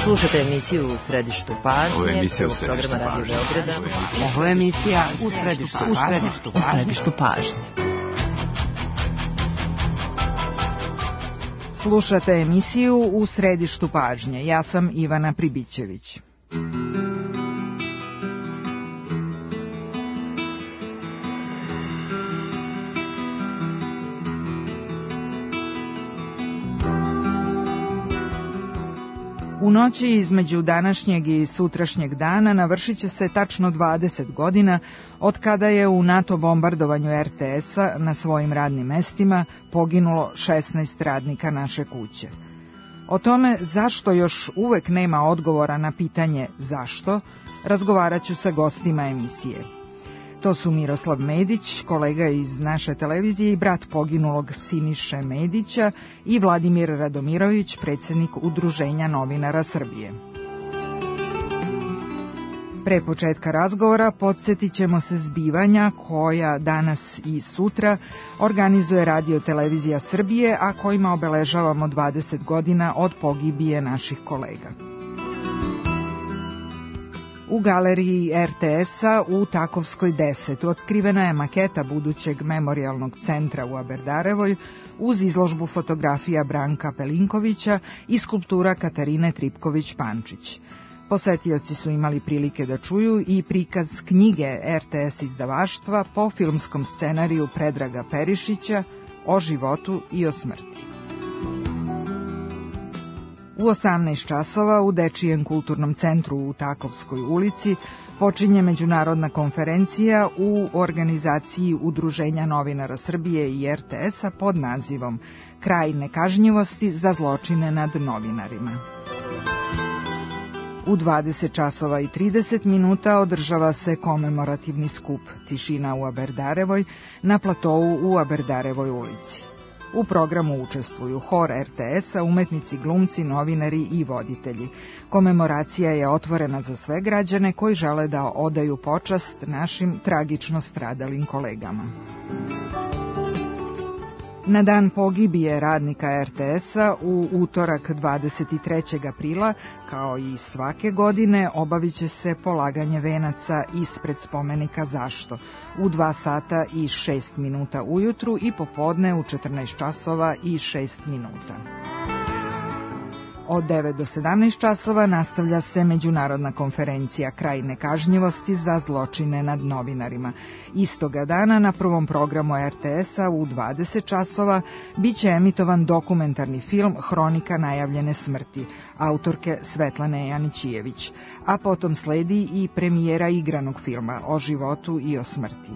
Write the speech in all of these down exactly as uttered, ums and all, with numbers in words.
Slušate emisiju U središtu pažnje. Ovo je emisija U središtu pažnje. Ovo je emisija U središtu pažnje. U središtu pažnje. Slušate emisiju U središtu pažnje. Ja sam Ivana Pribićević. U noći između današnjeg i sutrašnjeg dana navršit će se tačno dvadeset godina od kada je u NATO bombardovanju er te es-a na svojim radnim mestima poginulo šesnaest radnika naše kuće. O tome zašto još uvek nema odgovora na pitanje zašto, razgovarat ću sa gostima emisije. To su Miroslav Medić, kolega iz naše televizije i brat poginulog Siniše Medića, i Vladimir Radomirović, predsjednik Udruženja novinara Srbije. Pre početka razgovora podsjetit ćemo se zbivanja koja danas i sutra organizuje Radio Televizija Srbije, a kojima obeležavamo dvadeset godina od pogibije naših kolega. U galeriji er te es-a u Takovskoj deset otkrivena je maketa budućeg memorijalnog centra u Aberdarevoj uz izložbu fotografija Branka Pelinkovića i skulptura Katarine Tripković-Pančić. Posetioci su imali prilike da čuju i prikaz knjige er te es izdavaštva po filmskom scenariju Predraga Perišića o životu i o smrti. U osamnaest časova u Dečijem kulturnom centru u Takovskoj ulici počinje međunarodna konferencija u organizaciji Udruženja novinara Srbije i er te es-a pod nazivom Kraj nekažnjivosti za zločine nad novinarima. U dvadeset časova i trideset minuta održava se komemorativni skup Tišina u Aberdarevoj na platou u Aberdarevoj ulici. U programu učestvuju hor er te es-a, umetnici, glumci, novinari i voditelji. Komemoracija je otvorena za sve građane koji žele da odaju počast našim tragično stradalim kolegama. Na dan pogibije radnika er te es-a u utorak dvadeset trećeg aprila, kao i svake godine, obavit će se polaganje venaca ispred spomenika Zašto u dva sata i šest minuta ujutru i popodne u četrnaest časova i šest minuta. Od devet do sedamnaest časova nastavlja se međunarodna konferencija Kraj nekažnjivosti za zločine nad novinarima. Istoga dana na prvom programu er te es-a u dvadeset časova biće emitovan dokumentarni film Hronika najavljene smrti, autorke Svetlane Janićijević, a potom sledi i premijera igranog filma o životu i o smrti.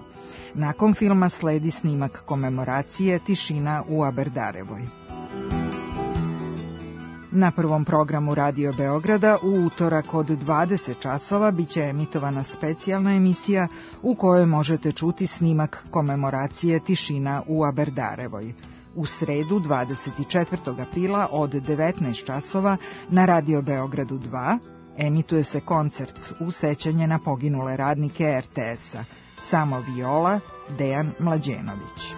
Nakon filma sledi snimak komemoracije Tišina u Aberdarevoj. Na prvom programu Radio Beograda u utorak od dvadeset časova biće emitovana specijalna emisija u kojoj možete čuti snimak komemoracije Tišina u Aberdarevoj. U sredu dvadeset četvrtog aprila od devetnaest časova na Radio Beogradu dva emituje se koncert u sećanje na poginule radnike er te es-a. Samo viola, Dejan Mlađenović.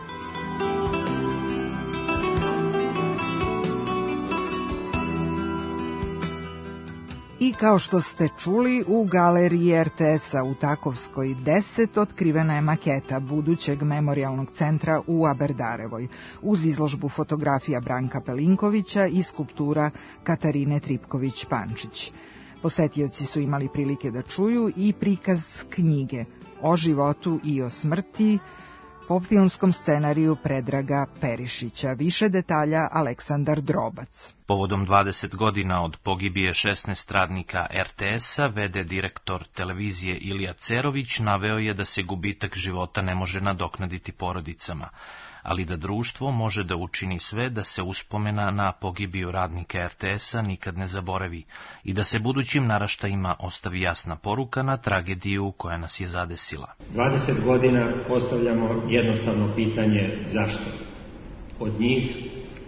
I kao što ste čuli, u galeriji er te es-a u Takovskoj deset otkrivena je maketa budućeg memorijalnog centra u Aberdarevoj uz izložbu fotografija Branka Pelinkovića i skulptura Katarine Tripković-Pančić. Posetioci su imali prilike da čuju i prikaz knjige o životu i o smrti po filmskom scenariju Predraga Perišića. Više detalja Aleksandar Drobac. Povodom dvadeset godina od pogibije šesnaest radnika er te es-a, ve de direktor televizije Ilija Cerović naveo je da se gubitak života ne može nadoknaditi porodicama, ali da društvo može da učini sve da se uspomena na pogibiju radnika er te es-a nikad ne zaboravi i da se budućim naraštajima ostavi jasna poruka na tragediju koja nas je zadesila. dvadeset godina postavljamo jednostavno pitanje zašto. Od njih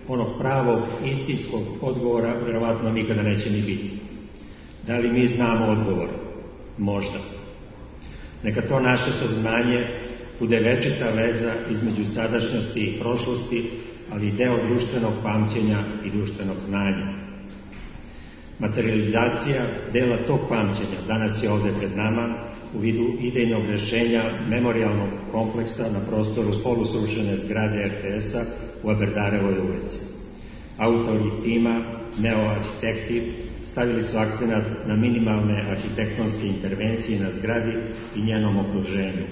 onog pravog istinskog odgovora vjerovatno nikada neće ni biti. Da li mi znamo odgovor? Možda. Neka to naše saznanje bude večita veza između sadašnjosti i prošlosti, ali i deo društvenog pamćenja i društvenog znanja. Materializacija dela tog pamćenja danas je ovde pred nama u vidu idejnog rešenja memorialnog kompleksa na prostoru polusrušene zgrade er te es-a u Aberdarevoj ulici. Autori tima, neoarhitekti, stavili su akcenat na minimalne arhitektonske intervencije na zgradi i njenom okruženju,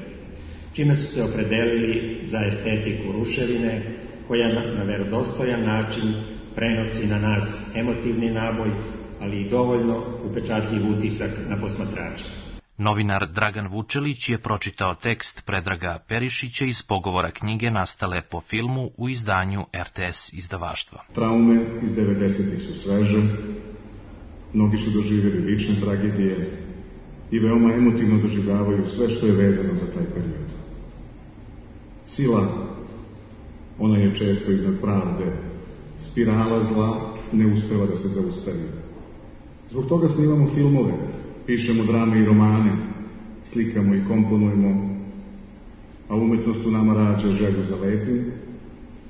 čime su se opredelili za estetiku ruševine, koja na, na verodostojan način prenosi na nas emotivni naboj, ali i dovoljno upečatljiv utisak na posmatrača. Novinar Dragan Vučelić je pročitao tekst Predraga Perišića iz pogovora knjige nastale po filmu u izdanju er te es izdavaštva. Traume iz devedesetih su sveže, mnogi su doživjeli lične tragedije i veoma emotivno doživljavaju sve što je vezano za taj period. Sila, ona je često iznad pravde, spirala zla ne uspeva da se zaustavi. Zbog toga snimamo filmove, pišemo drame i romane, slikamo i komponujemo, a umetnost u nama rađa želju za lepim.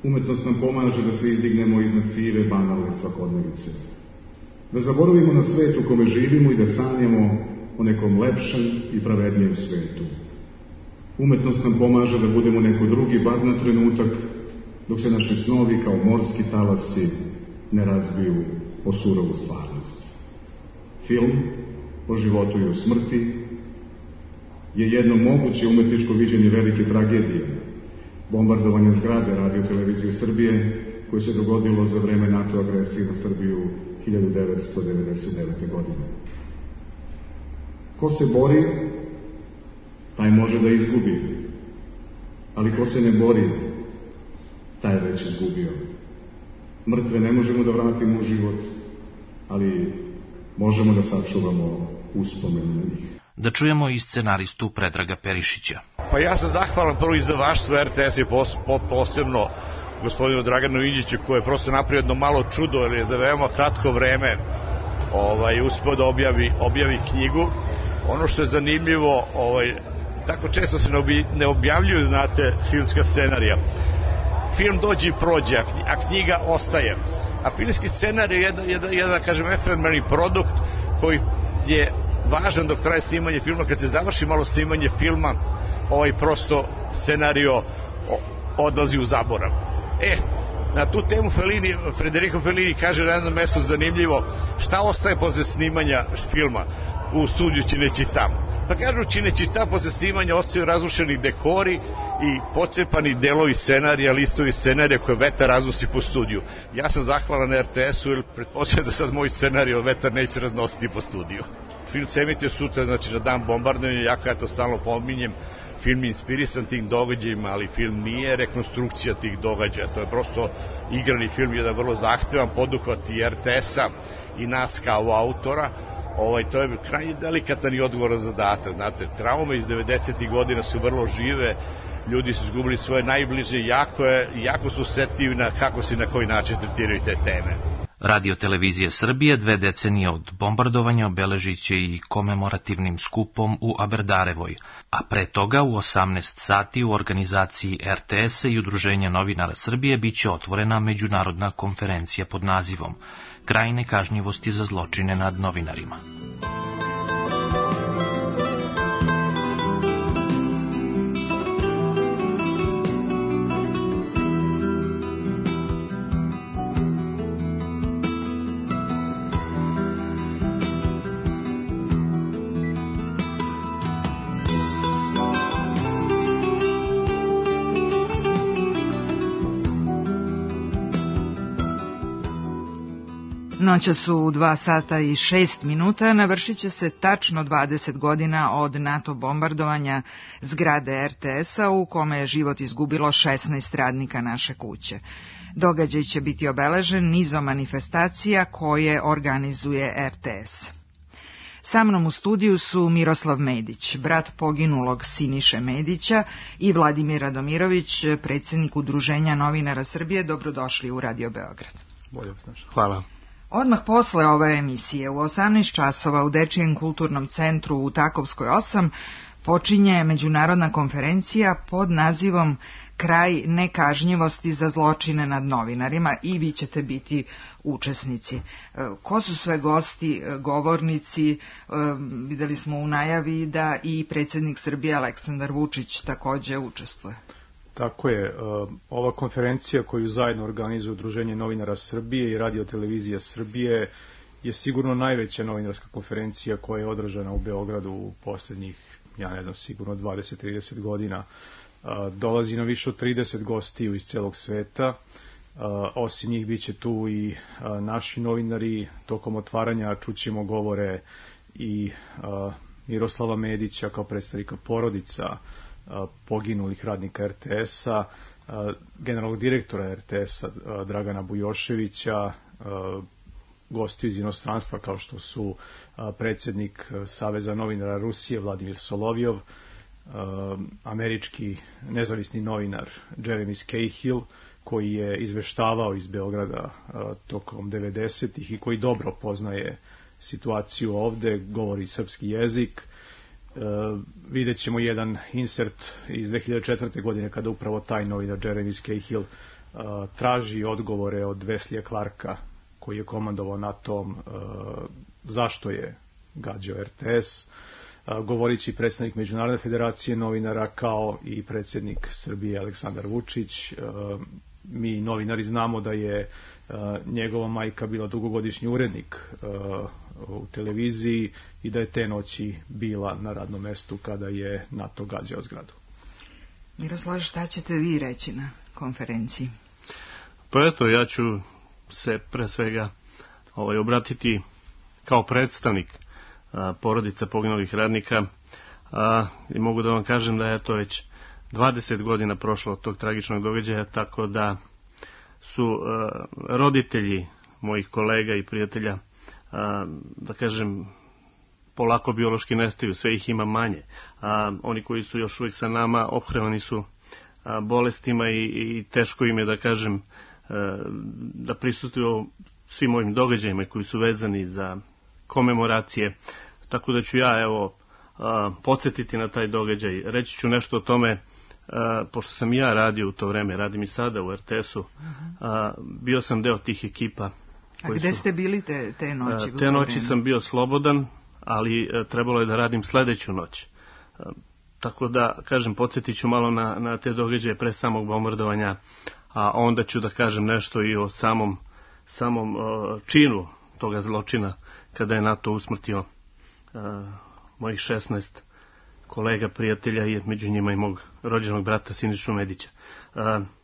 Umetnost nam pomaže da se izdignemo iznad sive, banalne svakodnevice. Da zaboravimo na svet u kome živimo i da sanjamo o nekom lepšem i pravednijem svetu. Umetnost nam pomaže da budemo neko drugi, bar na trenutak, dok se naši snovi kao morski talasi ne razbiju o surovu stvarnost. Film o životu i o smrti je jedno moguće umetničko viđenje velike tragedije, bombardovanja zgrade Radio-televizije Srbije, koje se dogodilo za vreme NATO agresije na Srbiju hiljadu devetsto devedeset devete. godine. Ko se bori, taj može da izgubi, ali ko se ne bori, taj već izgubio. Mrtve ne možemo da vratimo u život, ali možemo da sačuvamo uspomen na njih. Da čujemo i scenaristu Predraga Perišića. Pa ja sam zahvalan prvo izdavaštvu er te es i pos, po, posebno gospodinu Draganu Inđiću, koji je prosto napravio jedno malo čudo, jer je da veoma kratko vreme ovaj, uspio da objavi, objavi knjigu. Ono što je zanimljivo, ovaj, tako često se ne, obj, ne objavljuju, znate, filmska scenarija. Film dođe i prođe, a knjiga ostaje. A filmski scenarij je jedan, jedan, jedan kažem, efemerni produkt koji je važan dok traje snimanje filma. Kad se završi malo snimanje filma, ovaj prosto scenario odlazi u zaborav. E, na tu temu Fellini, Federico Fellini kaže na jednom mestu zanimljivo, šta ostaje posle snimanja filma u studiju Cinecittà. Pa kažu Cinecittà posle snimanja ostaju razrušeni dekori i pocepani delovi scenarija, listovi scenarija koje vetar raznosi po studiju. Ja sam zahvalan er te es-u jer pretpostavljam da sad moj scenario vetar neće raznositi po studiju. Film se emituje sutra, znači na dan bombardovanja, jako ja to stalno pominjem, film je inspirisan tim događajima, ali film nije rekonstrukcija tih događaja, to je prosto igrani film, jedan vrlo zahtevan poduhvat i er te es-a i nas kao autora. Ovaj, to je krajnje delikatan i odgovoran zadatak. Znate, traume iz devedesetih godina su vrlo žive, ljudi su izgubili svoje najbliže, jako, je, jako su osetljivi na kako se i na koji način tretiraju te teme. Radio-televizija Srbije dve decenije od bombardovanja obeležit će i komemorativnim skupom u Aberdarevoj, a pre toga u osamnaest sati u organizaciji er te es-a i Udruženja novinara Srbije biće otvorena međunarodna konferencija pod nazivom Kraj nekažnjivosti za zločine nad novinarima. Noćas u dva sata i šest minuta navršit će se tačno dvadeset godina od NATO bombardovanja zgrade er te es-a u kome je život izgubilo šesnaest radnika naše kuće. Događaj će biti obeležen nizom manifestacija koje organizuje er te es. Sa mnom u studiju su Miroslav Medić, brat poginulog Siniše Medića, i Vladimir Radomirović, predsjednik Udruženja novinara Srbije. Dobrodošli u Radio Beograd. Bolje vas našli. Hvala. Odmah posle ove emisije u osamnaest časova u Dečijem kulturnom centru u Takovskoj osam počinje međunarodna konferencija pod nazivom Kraj nekažnjivosti za zločine nad novinarima i vi ćete biti učesnici. Ko su sve gosti, govornici? Videli smo u najavi da i predsjednik Srbije Aleksandar Vučić takođe učestvuje. Tako je. Ova konferencija koju zajedno organizuje Udruženje novinara Srbije i Radio-televizija Srbije je sigurno najveća novinarska konferencija koja je održana u Beogradu u posljednjih, ja ne znam, sigurno dvadeset do trideset godina. Dolazi na više od trideset gostiju iz celog sveta. Osim njih bit će tu i naši novinari. Tokom otvaranja čućemo govore i Miroslava Medića kao predstavnika porodica poginulih radnika er te es-a, generalnog direktora er te es-a Dragana Bujoševića, gosti iz inostranstva kao što su predsjednik Saveza novinara Rusije Vladimir Solovjov, američki nezavisni novinar Jeremy Scahill, koji je izveštavao iz Beograda tokom devedesetih i koji dobro poznaje situaciju ovde, govori srpski jezik. Vidjet ćemo jedan insert iz dve hiljade četvrte. godine kada upravo taj novinar Jeremy Scahill traži odgovore od Weslija Clarka, koji je komandovao NATO-om, zašto je gađao er te es. Govorići i predstavnik Međunarodne federacije novinara kao i predsjednik Srbije Aleksandar Vučić. Mi novinari znamo da je njegova majka bila dugogodišnji urednik u televiziji i da je te noći bila na radnom mestu kada je NATO gađao zgradu. Miroslav, šta ćete vi reći na konferenciji? Pa eto, ja ću se pre svega ovaj, obratiti kao predstavnik a, porodica poginulih radnika a, i mogu da vam kažem da je to već dvadeset godina prošlo od tog tragičnog događaja, tako da su a, roditelji mojih kolega i prijatelja, a, da kažem, polako biološki nestaju, sve ih ima manje, a oni koji su još uvijek sa nama ophrevani su a, bolestima i, i teško im je, da kažem, da prisustvuju svim ovim događajima koji su vezani za komemoracije, tako da ću ja evo podsjetiti na taj događaj. Reći ću nešto o tome, pošto sam ja radio u to vreme, radim i sada u er te es-u, bio sam deo tih ekipa. A gde su, ste bili te, te noći? Te noći sam bio slobodan, ali trebalo je da radim sledeću noć. Tako da, kažem, podsjetit ću malo na, na te događaje pre samog bombardovanja, a onda ću da kažem nešto i o samom, samom uh, činu toga zločina, kada je NATO usmrtio uh, mojih šesnaest kolega, prijatelja i među njima i mog rođenog brata Sinišu Medića. Uh,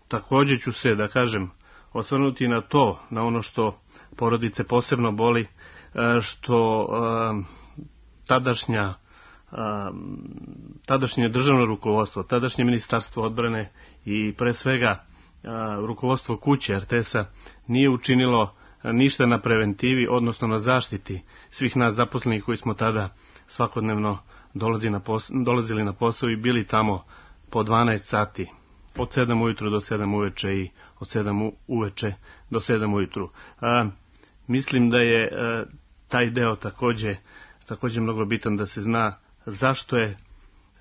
također ću se, da kažem, osvrnuti na to, na ono što porodice posebno boli, uh, što uh, tadašnja tadašnje državno rukovodstvo, tadašnje ministarstvo odbrane i pre svega rukovodstvo kuće er te es-a nije učinilo ništa na preventivi, odnosno na zaštiti svih nas zaposlenih koji smo tada svakodnevno dolazili na posao, dolazili na posao i bili tamo po dvanaest sati, od sedam ujutru do sedam uveče i od sedam uveče do sedam ujutru. A, mislim da je a, taj deo takođe, takođe mnogo bitan da se zna zašto je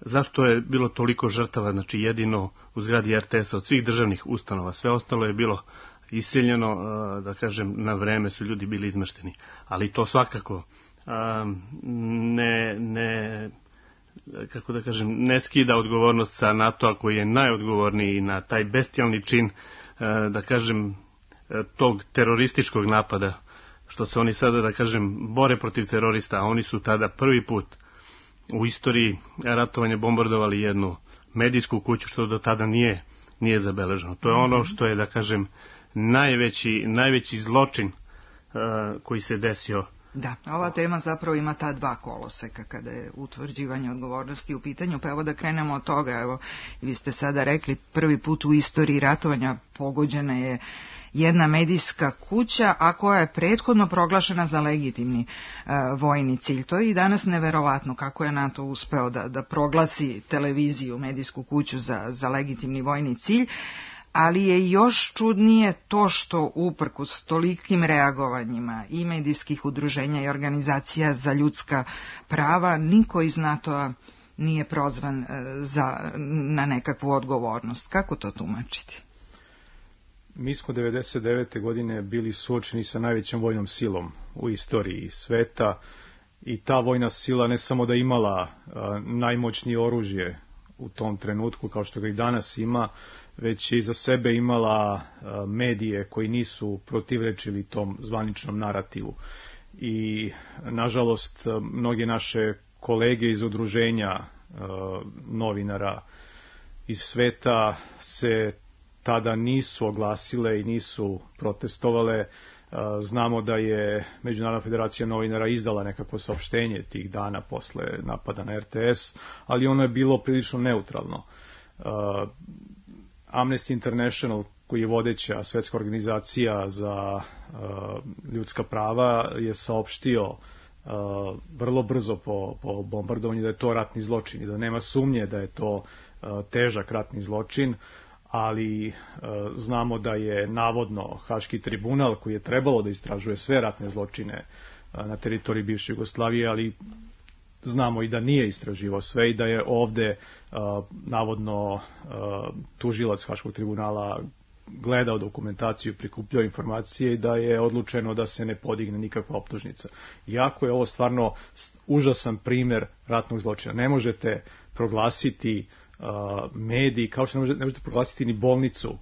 Zašto je bilo toliko žrtava, znači jedino u zgradi er te es-a od svih državnih ustanova, sve ostalo je bilo iseljeno, da kažem, na vreme su ljudi bili izmešteni, ali to svakako ne, ne, kako da kažem, ne skida odgovornost sa NATO-a koji je najodgovorniji na taj bestijalni čin, da kažem, tog terorističkog napada, što se oni sada, da kažem, bore protiv terorista, a oni su tada prvi put u istoriji ratovanja bombardovali jednu medijsku kuću, što do tada nije, nije zabeleženo. To je ono što je, da kažem, najveći, najveći zločin uh, koji se desio. Da, ova tema zapravo ima ta dva koloseka kada je utvrđivanje odgovornosti u pitanju, pa evo da krenemo od toga. Evo, vi ste sada rekli, prvi put u istoriji ratovanja pogođena je jedna medijska kuća, a koja je prethodno proglašena za legitimni e, vojni cilj. To je i danas neverovatno kako je NATO uspeo da, da proglasi televiziju, medijsku kuću za, za legitimni vojni cilj, ali je još čudnije to što uprkos tolikim reagovanjima i medijskih udruženja i organizacija za ljudska prava, niko iz NATO-a nije prozvan za, na nekakvu odgovornost. Kako to tumačiti? Mi smo devedeset devete godine bili suočeni sa najvećom vojnom silom u istoriji sveta i ta vojna sila ne samo da imala a, najmoćnije oružje u tom trenutku kao što ga i danas ima, već je iza sebe imala a, medije koji nisu protivrečili tom zvaničnom narativu. I nažalost mnoge naše kolege iz udruženja a, novinara iz sveta se tada nisu oglasile i nisu protestovale. Znamo da je Međunarodna federacija novinara izdala nekako saopštenje tih dana posle napada na R T S, ali ono je bilo prilično neutralno. Amnesty International, koji je vodeća svetska organizacija za ljudska prava, je saopštio vrlo brzo po, po bombardovanju da je to ratni zločin i da nema sumnje da je to težak ratni zločin, ali e, znamo da je navodno Haški tribunal, koji je trebalo da istražuje sve ratne zločine a, na teritoriji bivše Jugoslavije, ali znamo i da nije istraživao sve i da je ovde a, navodno a, tužilac Haškog tribunala gledao dokumentaciju, prikupljao informacije i da je odlučeno da se ne podigne nikakva optužnica. Iako je ovo stvarno užasan primer ratnog zločina. Ne možete proglasiti Uh, mediji, kao što ne možete, ne možete proglasiti ni bolnicu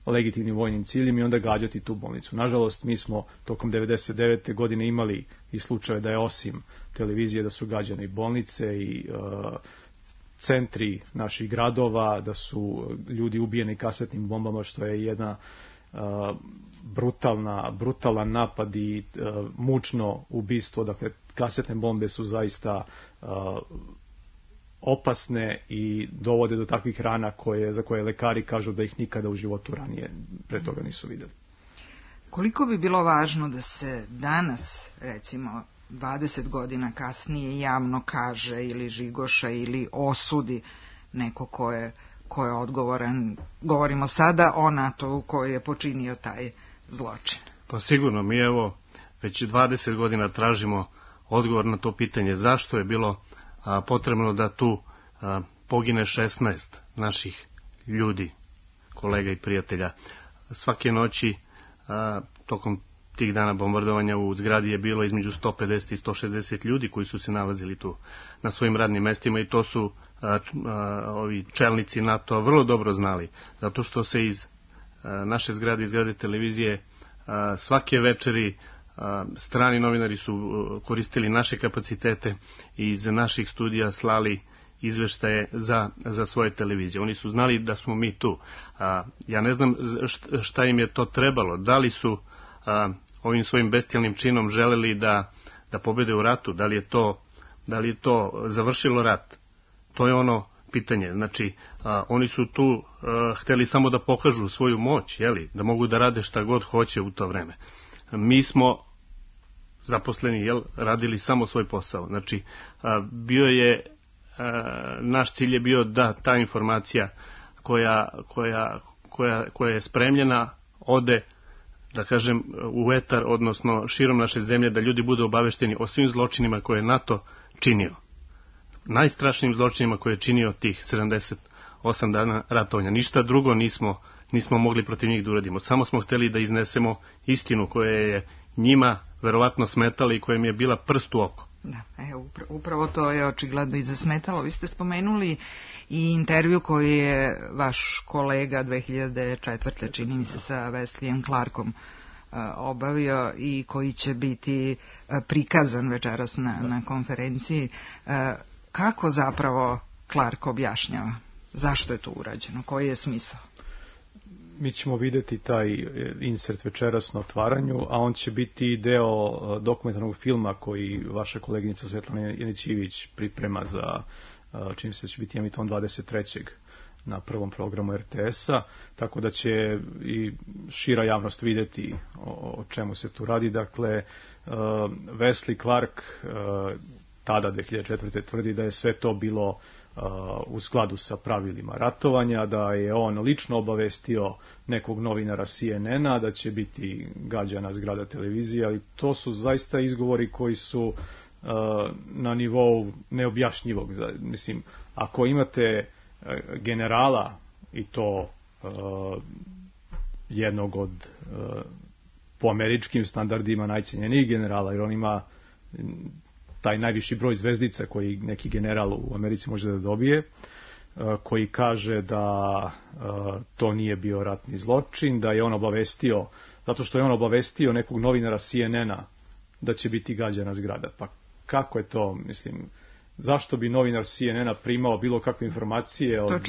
legitimnim vojnim ciljem i onda gađati tu bolnicu. Nažalost, mi smo tokom devedeset devete godine imali i slučaje da je osim televizije da su gađane i bolnice i uh, centri naših gradova, da su ljudi ubijeni kasetnim bombama, što je jedna uh, brutalna, brutalan napad i uh, mučno ubistvo. Dakle, kasetne bombe su zaista uh, opasne i dovode do takvih rana koje, za koje lekari kažu da ih nikada u životu ranije pre toga nisu videli. Koliko bi bilo važno da se danas, recimo dvadeset godina kasnije, javno kaže ili žigoša ili osudi neko ko je, ko je odgovoran, govorimo sada o NATO-u koji je počinio taj zločin? Pa sigurno, mi evo već dvadeset godina tražimo odgovor na to pitanje zašto je bilo a, potrebno da tu a, pogine šesnaest naših ljudi, kolega i prijatelja. Svake noći a, tokom tih dana bombardovanja u zgradi je bilo između sto pedeset i sto šezdeset ljudi koji su se nalazili tu na svojim radnim mestima i to su a, a, ovi čelnici NATO vrlo dobro znali, zato što se iz a, naše zgrade, iz zgrade televizije a, svake večeri a, strani novinari su a, koristili naše kapacitete i iz naših studija slali izveštaje za, za svoje televizije. Oni su znali da smo mi tu. A, ja ne znam šta im je to trebalo. Da li su a, ovim svojim bestijalnim činom želeli da, da pobede u ratu? Da li je to, da li je to završilo rat? To je ono pitanje. Znači, a, oni su tu a, hteli samo da pokažu svoju moć, jeli? Da mogu da rade šta god hoće u to vreme. Mi smo zaposleni, jel, radili samo svoj posao. Znači, a, bio je naš cilj je bio da ta informacija koja, koja, koja, koja je spremljena ode, da kažem, u etar, odnosno širom naše zemlje, da ljudi budu obavešteni o svim zločinima koje je NATO činio. Najstrašnijim zločinima koje je činio tih sedamdeset osam dana ratovanja. Ništa drugo nismo, nismo mogli protiv njih da uradimo. Samo smo hteli da iznesemo istinu koja je njima verovatno smetala i koja im je bila prst u oko. Da, evo, upravo to je očigledno i zasmetalo. Vi ste spomenuli i intervju koji je vaš kolega dve hiljade četvrte čini mi se sa Wesleyem Clarkom obavio i koji će biti prikazan večeras na, na konferenciji. Kako zapravo Clark objašnjava? Zašto je to urađeno? Koji je smisao? Mi ćemo videti taj insert večeras na otvaranju, a on će biti deo dokumentarnog filma koji vaša koleginica Svetlana Janić-Ivić priprema za, čini se da će biti emitovan dvadeset trećeg na prvom programu R T S-a, tako da će i šira javnost videti o, o čemu se tu radi. Dakle, Wesley Clark tada dve hiljade četvrte tvrdi da je sve to bilo u skladu sa pravilima ratovanja, da je on lično obavestio nekog novinara C N N-a da će biti gađana zgrada televizije, ali to su zaista izgovori koji su na nivou neobjašnjivog. Mislim, ako imate generala i to jednog od po američkim standardima najcenjenijih generala, jer on ima taj najviši broj zvezdica koji neki general u Americi može da dobije, koji kaže da to nije bio ratni zločin, da je on obavestio, zato što je on obavestio nekog novinara C N N-a da će biti gađana zgrada. Pa kako je to, mislim, zašto bi novinar C N N-a primao bilo kakve informacije od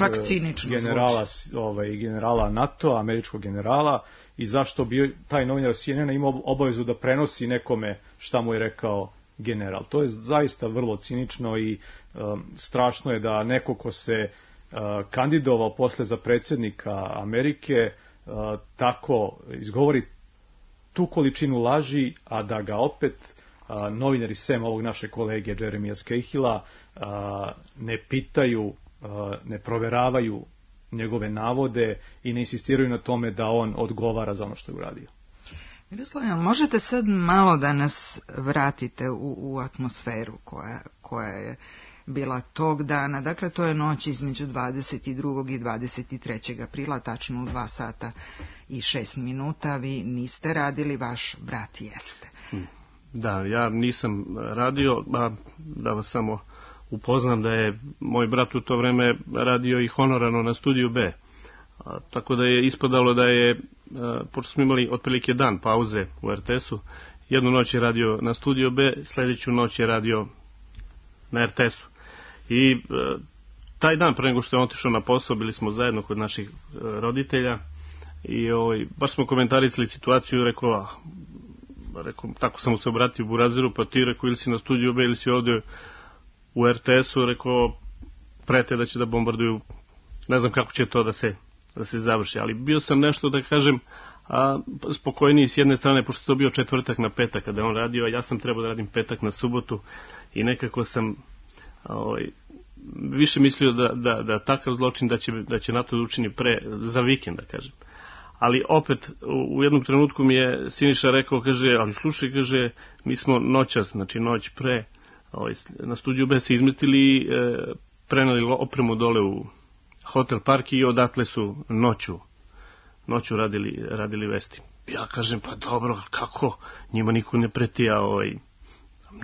generala, ovaj, generala NATO, američkog generala, i zašto bi taj novinar C N N-a imao obavezu da prenosi nekome šta mu je rekao general. To je zaista vrlo cinično i um, strašno je da neko ko se uh, kandidovao posle za predsjednika Amerike uh, tako izgovori tu količinu laži, a da ga opet uh, novinari sem ovog naše kolege Jeremija Skahila uh, ne pitaju, uh, ne proveravaju njegove navode i ne insistiraju na tome da on odgovara za ono što je uradio. Miroslav, možete sad malo da nas vratite u, u atmosferu koja, koja je bila tog dana. Dakle, to je noć između dvadeset drugog i dvadeset trećeg aprila, tačno u dva sata i šest minuta. Vi niste radili, vaš brat jeste. Da, ja nisam radio, a da vas samo upoznam da je moj brat u to vreme radio i honorarno na Studiju B. A, tako da je ispadalo da je, a, pošto smo imali otprilike dan pauze u R T S-u, jednu noć je radio na Studiju B, sljedeću noć je radio na R T S-u. I a, taj dan pre nego što je otišao na posao, bili smo zajedno kod naših a, roditelja i ovaj, baš smo komentarisali situaciju, rekao, a, rekao, tako sam mu se obratio u Buraziru, pa ti rekao ili si na Studiju B ili si ovdje u R T S-u, rekao, prete da će da bombarduju, ne znam kako će to da se da se završi, ali bio sam nešto, da kažem, a, spokojniji s jedne strane, pošto to bio četvrtak na petak kada je on radio, a ja sam trebao da radim petak na subotu i nekako sam ovaj, više mislio da, da, da takav zločin da će, da će NATO da učini pre, za vikend, da kažem. Ali opet, u, u jednom trenutku mi je Siniša rekao, kaže, ali slušaj, kaže, mi smo noćas, znači noć pre, ovaj, na Studiju B se izmestili i e, prenali opremu dole u Hotel Park i odatle su noću, noću radili, radili vesti. Ja kažem, pa dobro, kako? Njima niko ne preti, a ovaj,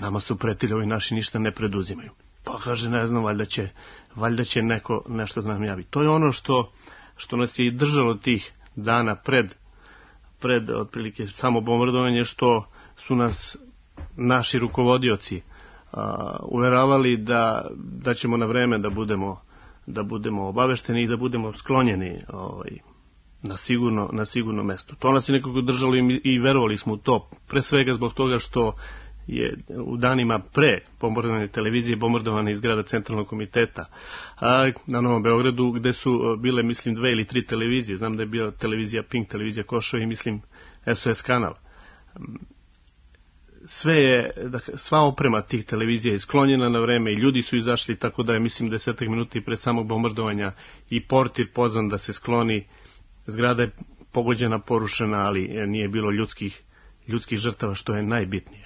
nama su pretili, ovi naši ništa ne preduzimaju. Pa kaže, ne znam, valjda će, valjda će neko nešto da nam javi. To je ono što, što nas je i držalo tih dana pred, pred otprilike samo bombardovanje, što su nas naši rukovodioci a, uveravali da, da ćemo na vreme da budemo da budemo obavešteni i da budemo sklonjeni ovaj, na, sigurno, na sigurno mesto. To nas je nekako držalo i, i verovali smo u to, pre svega zbog toga što je u danima pre bombardovane televizije bombardovane iz zgrada Centralnog komiteta a, na Novom Beogradu, gde su bile, mislim, dve ili tri televizije. Znam da je bila televizija Pink, televizija Košo i, mislim, S O S kanal. Sve je, sva oprema tih televizija je sklonjena na vreme i ljudi su izašli, tako da je, mislim, desetak minuta pre samog bombardovanja i portir pozvan da se skloni. Zgrada je pogođena, porušena, ali nije bilo ljudskih, ljudskih žrtava, što je najbitnije.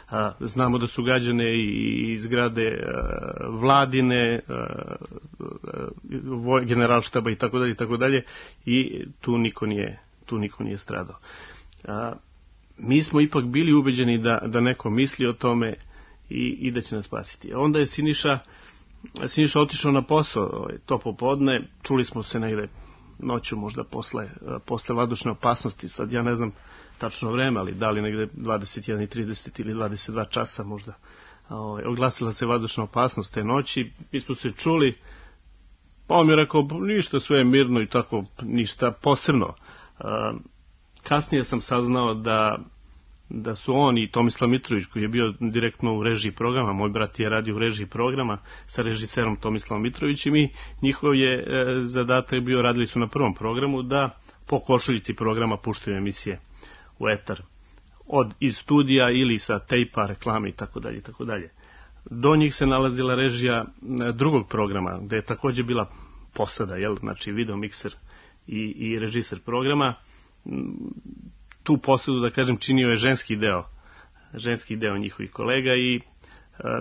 A, znamo da su gađane i, i zgrade a, vladine, a, a, generalštaba i tako dalje i tako dalje, i tu niko nije, tu niko nije stradao. A, mi smo ipak bili ubeđeni da, da neko misli o tome i, i da će nas spasiti. Onda je Siniša, Siniša otišao na posao to popodne, čuli smo se negde noću, možda posle, posle vazdušne opasnosti, sad ja ne znam tačno vreme, ali da li negde dvadeset jedan i trideset ili dvadeset dva časa možda, oglasila se vazdušna opasnost te noći, mi smo se čuli, pa on mi je rekao, ništa, sve je mirno i tako, ništa posebno. Kasnije sam saznao da, da su on i Tomislav Mitrović, koji je bio direktno u režiji programa, moj brat je radio u režiji programa sa režiserom Tomislavom Mitrovićem, i njihov je e, zadatak bio, radili su na prvom programu, da po košuljici programa puštaju emisije u etar. Od iz studija ili sa tejpa, reklame i tako dalje i tako dalje. Do njih se nalazila režija drugog programa, gde je takođe bila posada, jel, znači video mikser i, i režiser programa. Tu posadu, da kažem, činio je ženski deo, ženski deo njihovih kolega i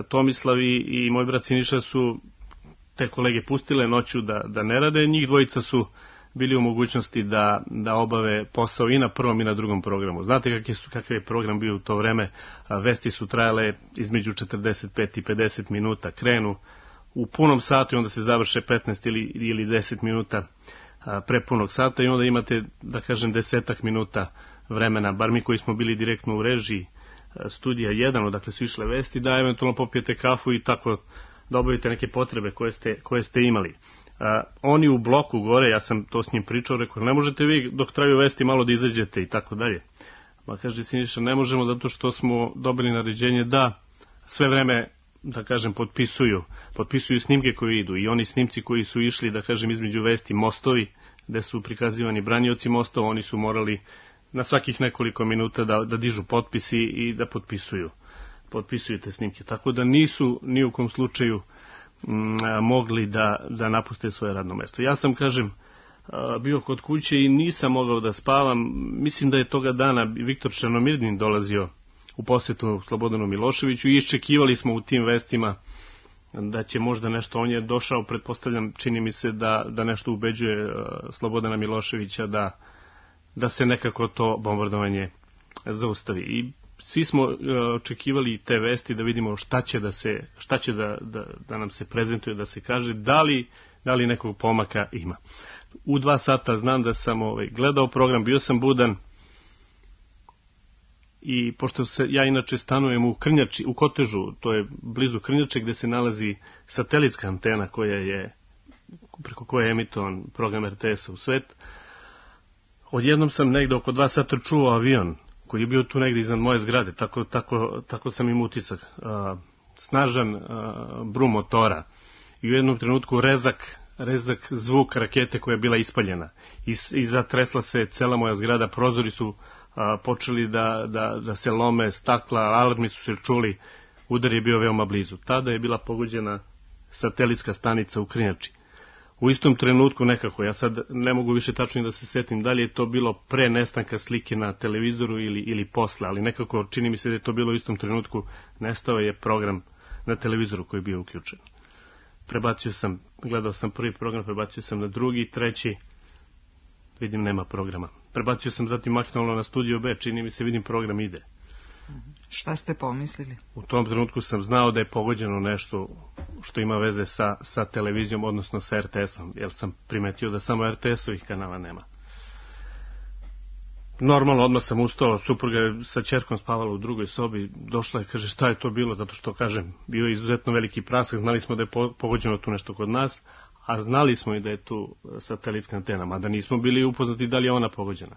Tomislav i, i moj brat Siniša su te kolege pustile noću da, da ne rade, njih dvojica su bili u mogućnosti da, da obave posao i na prvom i na drugom programu. Znate kakav je, kakav je program bio u to vreme, vesti su trajale između četrdeset pet i pedeset minuta, krenu u punom satu i onda se završe petnaest ili, ili deset minuta prepunog sata i onda imate, da kažem, desetak minuta vremena, bar mi koji smo bili direktno u režiji studija jedan, odakle su išle vesti, da eventualno popijete kafu i tako da obavite neke potrebe koje ste, koje ste imali. Uh, oni u bloku gore, ja sam to s njim pričao, rekao, ne možete vi dok traju vesti malo da izađete i tako dalje. Ma kaže Siniša, ne možemo zato što smo dobili naređenje da sve vreme, da kažem, potpisuju, potpisuju snimke koje idu i oni snimci koji su išli, da kažem, između vesti mostovi, gde su prikazivani branioci mostova, oni su morali na svakih nekoliko minuta da, da dižu potpisi i da potpisuju, potpisuju te snimke. Tako da nisu ni u kom slučaju m, mogli da, da napuste svoje radno mesto. Ja sam, kažem, bio kod kuće i nisam mogao da spavam. Mislim da je toga dana Viktor Černomirdin dolazio u posjetu Slobodanu Miloševiću i iščekivali smo u tim vestima da će možda nešto, on je došao, pretpostavljam, čini mi se da, da nešto ubeđuje Slobodana Miloševića da, da se nekako to bombardovanje zaustavi. I svi smo očekivali te vesti da vidimo šta će da se, šta će da, da, da nam se prezentuje, da se kaže da li, da li nekog pomaka ima. U dva sata znam da sam ovaj, gledao program, bio sam budan i pošto se ja inače stanujem u Krnjači, u Kotežu, to je blizu Krnjače gde se nalazi satelitska antena koja je, preko koje je emitovan program er te es-a u svet, odjednom sam negde oko dva sata čuo avion koji je bio tu negde iznad moje zgrade, tako, tako, tako sam im utisak. Uh, snažan uh, brum motora i u jednom trenutku rezak, rezak zvuk rakete koja je bila ispaljena i, i zatresla se cela moja zgrada, prozori su uh, počeli da, da, da se lome, stakla, alarmi su se čuli, udar je bio veoma blizu. Tada je bila pogođena satelitska stanica u Krnjači. U istom trenutku nekako, ja sad ne mogu više tačno da se setim da li je to bilo pre nestanka slike na televizoru ili, ili posle, ali nekako čini mi se da je to bilo u istom trenutku, nestao je program na televizoru koji je bio uključen. Prebacio sam, gledao sam prvi program, prebacio sam na drugi, treći, vidim nema programa. Prebacio sam zatim mahinalno na Studio B, čini mi se vidim program ide. Šta ste pomislili? U tom trenutku sam znao da je pogođeno nešto što ima veze sa, sa televizijom, odnosno sa er te es-om, jer sam primetio da samo er te es-ovih kanala nema. Normalno, odmah sam ustao, supruga je sa ćerkom spavala u drugoj sobi, došla je, kaže šta je to bilo, zato što, kažem, bio je izuzetno veliki prasak, znali smo da je pogođeno tu nešto kod nas, a znali smo i da je tu satelitska antena, mada nismo bili upoznati da li je ona pogođena.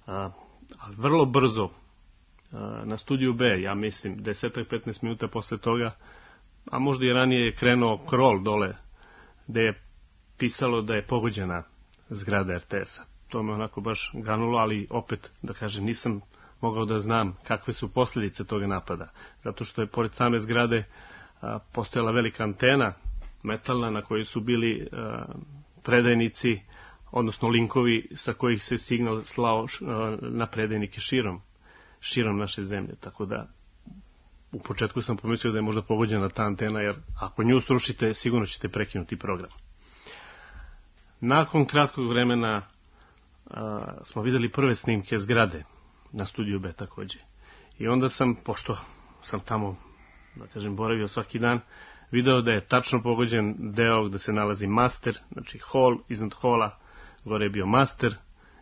A, ali vrlo brzo, na Studiju B, ja mislim, deset do petnaest minuta posle toga, a možda i ranije je krenuo krol dole, gde je pisalo da je pogođena zgrada er te es-a. To me onako baš ganulo, ali opet, da kažem, nisam mogao da znam kakve su posljedice toga napada. Zato što je pored same zgrade a, postojala velika antena metalna na kojoj su bili a, predajnici, odnosno linkovi sa kojih se signal slao a, na predajnike širom. širom naše zemlje, tako da u početku sam pomislio da je možda pogođena ta antena, jer ako nju srušite, sigurno ćete prekinuti program. Nakon kratkog vremena a, smo videli prve snimke zgrade na Studiju B takođe. I onda sam, pošto sam tamo, da kažem, boravio svaki dan, video da je tačno pogođen deo gde se nalazi master, znači hol, iznad hola, gore je bio master,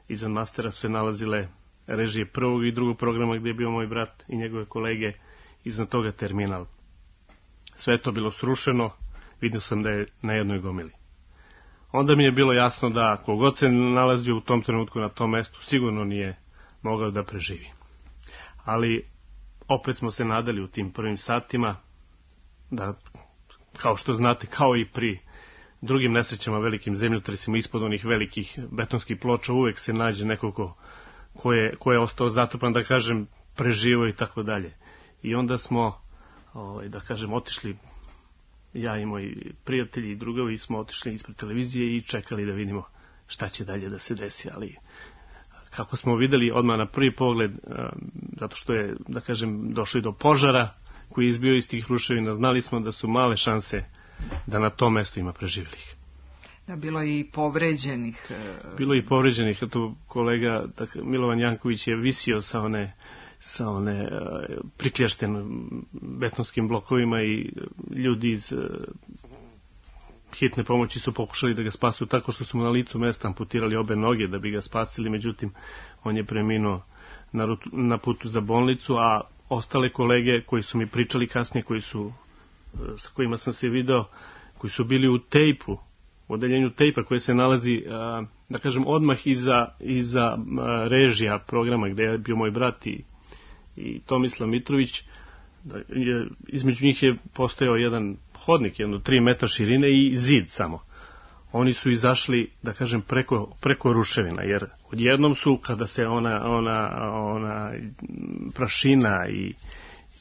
iznad mastera su se nalazile režije prvog i drugog programa gdje je bio moj brat i njegove kolege, iznad toga terminal. Sve je to bilo srušeno, vidio sam da je na jednoj gomili. Onda mi je bilo jasno da kogod se nalazio u tom trenutku na tom mestu sigurno nije mogao da preživi. Ali opet smo se nadali u tim prvim satima da, kao što znate, kao i pri drugim nesrećama, velikim zemljotresima, ispod onih velikih betonskih ploča uvek se nađe neko ko Ko je, ko je ostao zatrpan, da kažem, preživo i tako dalje. I onda smo, ovaj, da kažem, otišli, ja i moji prijatelji i drugovi smo otišli ispred televizije i čekali da vidimo šta će dalje da se desi. Ali kako smo videli odmah na prvi pogled, zato što je, da kažem, došli do požara koji je izbio iz tih ruševina. Znali smo da su male šanse da na tom mestu ima preživjelih. Da, bilo je i povređenih. Bilo je i povređenih. Tu kolega Milovan Janković je visio sa one, sa one prikljašten betonskim blokovima i ljudi iz hitne pomoći su pokušali da ga spasu tako što su mu na licu mesta amputirali obe noge da bi ga spasili, međutim on je preminuo na, rutu, na putu za bolnicu, a ostale kolege koji su mi pričali kasnije, koji su, sa kojima sam se video, koji su bili u tejpu, u odeljenju tejpa koje se nalazi, da kažem, odmah iza, iza režija programa gde je bio moj brat i, i Tomislav Mitrović, da je, između njih je postojao jedan hodnik, jedno tri metra širine i zid samo. Oni su izašli, da kažem, preko, preko ruševina, jer odjednom su, kada se ona, ona, ona prašina i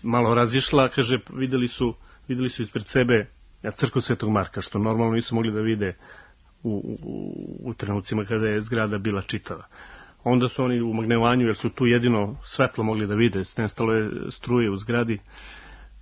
malo razišla, kaže, videli su, videli su ispred sebe crkvu Svetog Marka, što normalno nisu mogli da vide u, u, u trenucima kada je zgrada bila čitava. Onda su oni u magnetovanju, jer su tu jedino svetlo mogli da vide, nestalo je struje u zgradi,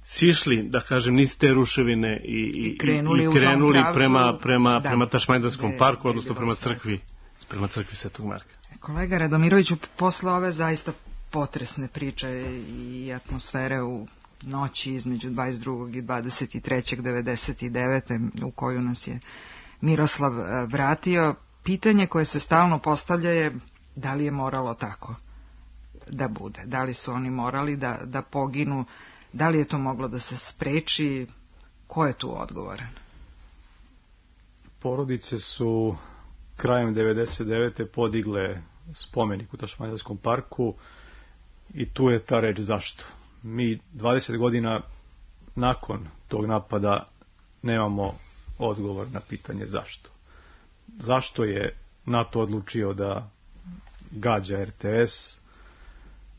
sišli, da kažem, niz te ruševine i, i, I krenuli, i krenuli prema, prema, da, prema Tašmajdanskom de, parku, odnosno prema crkvi, prema crkvi Svetog Marka. Kolega Radomiroviću, posle ove zaista potresne priče i atmosfere u noći između dvadeset drugog i dvadeset trećeg devedeset devete u koju nas je Miroslav vratio, pitanje koje se stalno postavlja je da li je moralo tako da bude, da li su oni morali da, da poginu, da li je to moglo da se spreči, ko je tu odgovoran? Porodice su krajem devedeset devete podigle spomenik u Tašmajdanskom parku i tu je ta reč zašto. Mi dvadeset godina nakon tog napada nemamo odgovor na pitanje zašto. Zašto je NATO odlučio da gađa R T S?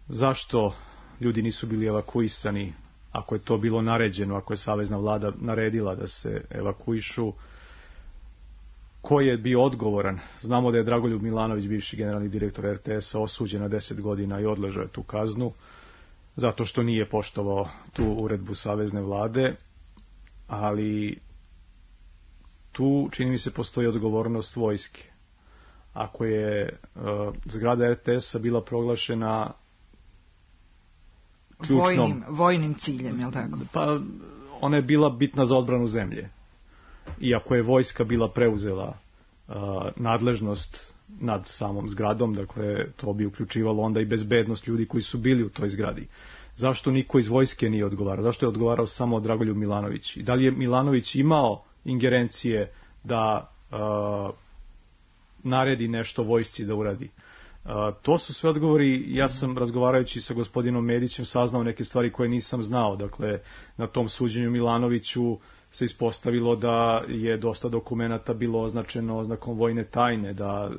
Zašto ljudi nisu bili evakuisani ako je to bilo naređeno, ako je savezna vlada naredila da se evakuišu? Ko je bio odgovoran? Znamo da je Dragoljub Milanović, bivši generalni direktor R T S-a, osuđen na deset godina i odležao je tu kaznu zato što nije poštovao tu uredbu savezne vlade, ali tu, čini mi se, postoji odgovornost vojske. Ako je uh, zgrada R T S-a bila proglašena ključnom... Vojnim, vojnim ciljem, je li tako? Pa, ona je bila bitna za odbranu zemlje. Iako je vojska bila preuzela uh, nadležnost nad samom zgradom, dakle, to bi uključivalo onda i bezbednost ljudi koji su bili u toj zgradi. Zašto niko iz vojske nije odgovarao? Zašto je odgovarao samo Dragoljub Milanović? I da li je Milanović imao ingerencije da uh, naredi nešto vojsci da uradi? Uh, to su sve odgovori. Ja sam, razgovarajući sa gospodinom Medićem, saznao neke stvari koje nisam znao. Dakle, na tom suđenju Milanoviću se ispostavilo da je dosta dokumenata bilo označeno oznakom vojne tajne, da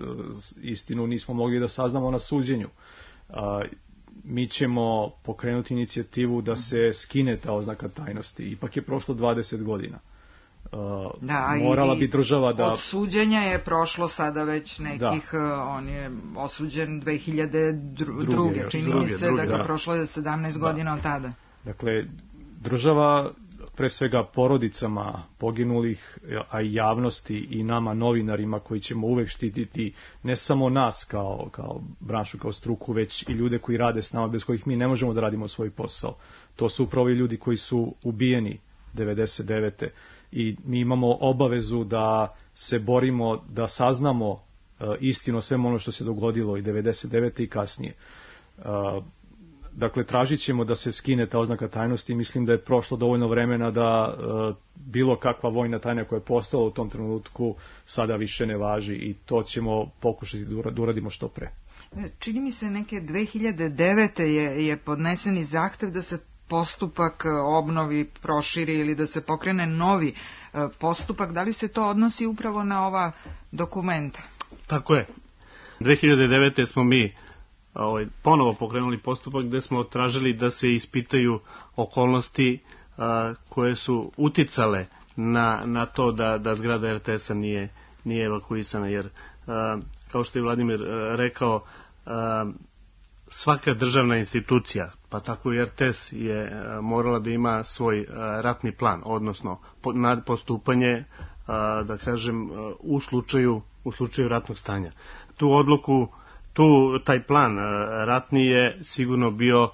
istinu nismo mogli da saznamo na suđenju. Uh, mi ćemo pokrenuti inicijativu da se skine ta oznaka tajnosti. Ipak je prošlo dvadeset godina. Uh, da, morala bi država da... Od suđenja je prošlo sada već nekih, da. On je osuđen dve hiljade druge. Čini druge, mi se druge, da, da prošlo je sedamnaest da. godina od tada. Dakle, država, pre svega porodicama poginulih, a i javnosti i nama novinarima koji ćemo uvek štititi ne samo nas kao, kao branšu, kao struku, već i ljude koji rade s nama, bez kojih mi ne možemo da radimo svoj posao. To su upravo i ljudi koji su ubijeni devedeset devete i mi imamo obavezu da se borimo, da saznamo uh, istinu o svemu ono što se dogodilo i devedeset devete i kasnije. Uh, dakle, tražit ćemo da se skine ta oznaka tajnosti i mislim da je prošlo dovoljno vremena da uh, bilo kakva vojna tajna koja je postala u tom trenutku sada više ne važi i to ćemo pokušati da uradimo što pre. Čini mi se neke dve hiljade devete je, je podneseni zahtev da se postupak obnovi proširi ili da se pokrene novi postupak. Da li se to odnosi upravo na ova dokumenta? Tako je. dve hiljade devete smo mi ovaj, ponovo pokrenuli postupak gde smo tražili da se ispitaju okolnosti a, koje su uticale na, na to da, da zgrada R T S-a nije, nije evakuisana, jer a, kao što je Vladimir a, rekao, a, svaka državna institucija, pa tako i R T S je morala da ima svoj ratni plan, odnosno postupanje, da kažem, u slučaju, u slučaju ratnog stanja. Tu odluku, tu taj plan ratni je sigurno bio,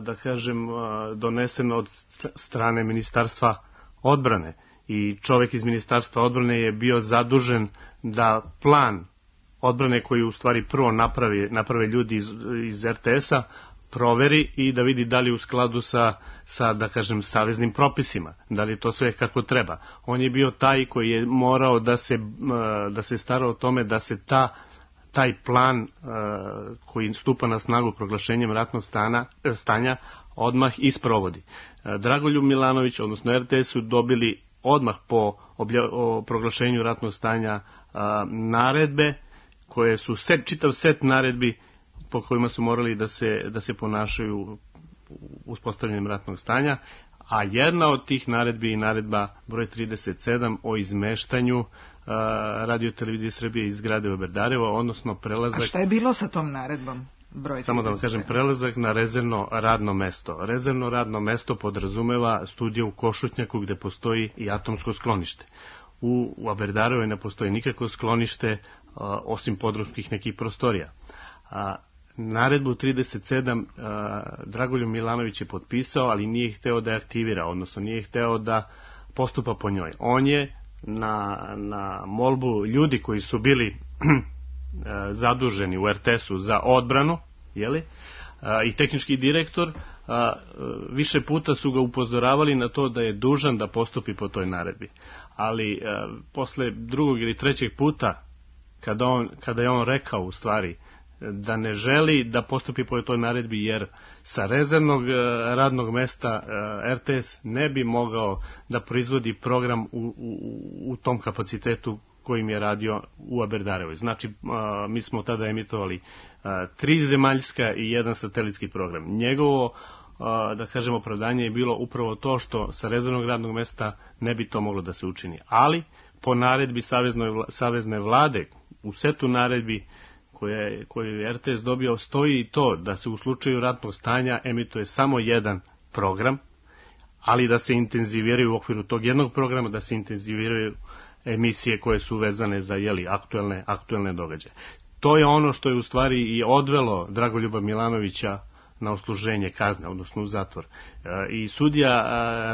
da kažem, donesen od strane Ministarstva odbrane i čovjek iz Ministarstva odbrane je bio zadužen da plan odbrane koji u stvari prvo napravi, naprave ljudi iz, iz R T S-a proveri i da vidi da li u skladu sa, sa, da kažem, saveznim propisima, da li to sve kako treba. On je bio taj koji je morao da se, da se stara o tome da se ta, taj plan koji stupa na snagu proglašenjem ratnog stana, stanja odmah isprovodi. Dragoljub Milanović, odnosno R T S su dobili odmah po obja, o proglašenju ratnog stanja naredbe, koje su set, čitav set naredbi po kojima su morali da se, da se ponašaju uspostavljanjem ratnog stanja, a jedna od tih naredbi je naredba broj trideset sedam o izmeštanju Radio televizije Srbije iz zgrade u Oberdarevo, odnosno prelazak... A šta je bilo sa tom naredbom? Broj Samo da vam kažem, prelazak na rezervno radno mesto. Rezervno radno mesto podrazumeva studiju u Košutnjaku gde postoji i atomsko sklonište. U, u Oberdarevo ne postoji nikakvo sklonište a, osim podrumskih nekih prostorija. A, naredbu trideset sedam a, Dragoljub Milanović je potpisao, ali nije hteo da je aktivira, odnosno nije hteo da postupa po njoj. On je na, na molbu ljudi koji su bili zaduženi u R T S-u za odbranu, jeli, a, i tehnički direktor, a, više puta su ga upozoravali na to da je dužan da postupi po toj naredbi. Ali a, posle drugog ili trećeg puta, kada, on, kada je on rekao u stvari da ne želi da postupi po toj naredbi, jer sa rezervnog radnog mesta R T S ne bi mogao da proizvodi program u, u, u tom kapacitetu kojim je radio u Oberdarevoj. Znači, a, mi smo tada emitovali a, tri zemaljska i jedan satelitski program. Njegovo, a, da kažemo, opravdanje je bilo upravo to što sa rezervnog radnog mesta ne bi to moglo da se učini. Ali, po naredbi saveznoj, savezne vlade, u setu naredbi koje, koje je R T S dobio, stoji i to da se u slučaju ratnog stanja emituje samo jedan program, ali da se intenziviraju u okviru tog jednog programa, da se intenziviraju emisije koje su vezane za, jeli, aktuelne, aktuelne događaje. To je ono što je u stvari i odvelo Dragoljuba Milanovića na odsluženje kazne, odnosno u zatvor. I sudija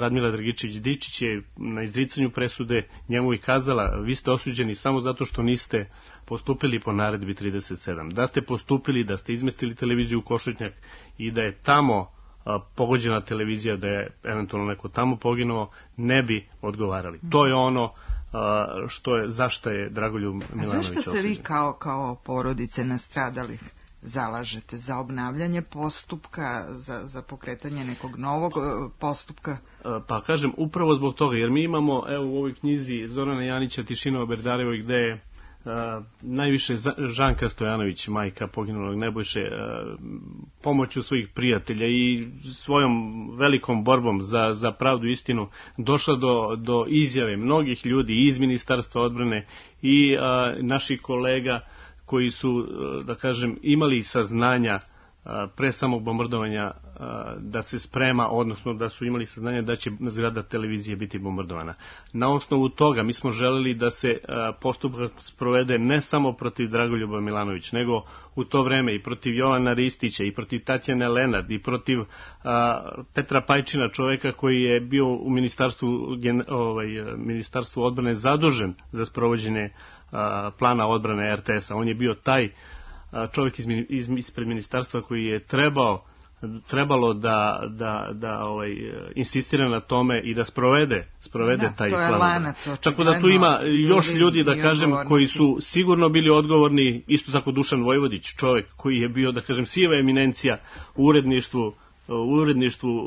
Radmila Dragičević-Dičić je na izricanju presude njemu i kazala: vi ste osuđeni samo zato što niste postupili po naredbi trideset sedam. Da ste postupili, da ste izmestili televiziju u Košutnjak i da je tamo pogođena televizija, da je eventualno neko tamo poginuo, ne bi odgovarali. To je ono što je, zašto je Dragoljub Milanović osuđen. A zašto se vi kao, kao porodice nastradalih zalažete za obnavljanje postupka, za, za pokretanje nekog novog postupka? Pa kažem, upravo zbog toga, jer mi imamo, evo, u ovoj knjizi Zorana Janića Tišina Oberdarevoj, gde je Uh, najviše Žanka Stojanović, majka poginulog Nebojše, uh, pomoću svojih prijatelja i svojom velikom borbom za, za pravdu i istinu došla do, do izjave mnogih ljudi iz Ministarstva odbrane i uh, naših kolega koji su, uh, da kažem, imali saznanja pre samog bombardovanja da se sprema, odnosno da su imali saznanje da će zgrada televizije biti bombardovana. Na osnovu toga mi smo želeli da se postupak sprovede ne samo protiv Dragoljuba Milanović, nego u to vreme i protiv Jovana Ristića, i protiv Tatjane Lenard, i protiv Petra Pajčina, čoveka koji je bio u ministarstvu, ovaj, ministarstvu odbrane zadužen za sprovođenje plana odbrane R T S-a. On je bio taj čovjek iz, iz, ispred ministarstva koji je trebao, trebalo da, da, da ovaj, insistira na tome i da sprovede, sprovede da, taj plan. Lanac, tako da tu ima još ljudi, da kažem, koji su sigurno bili odgovorni, isto tako Dušan Vojvodić, čovjek koji je bio, da kažem, sijeva eminencija u uredništvu, u uredništvu uh,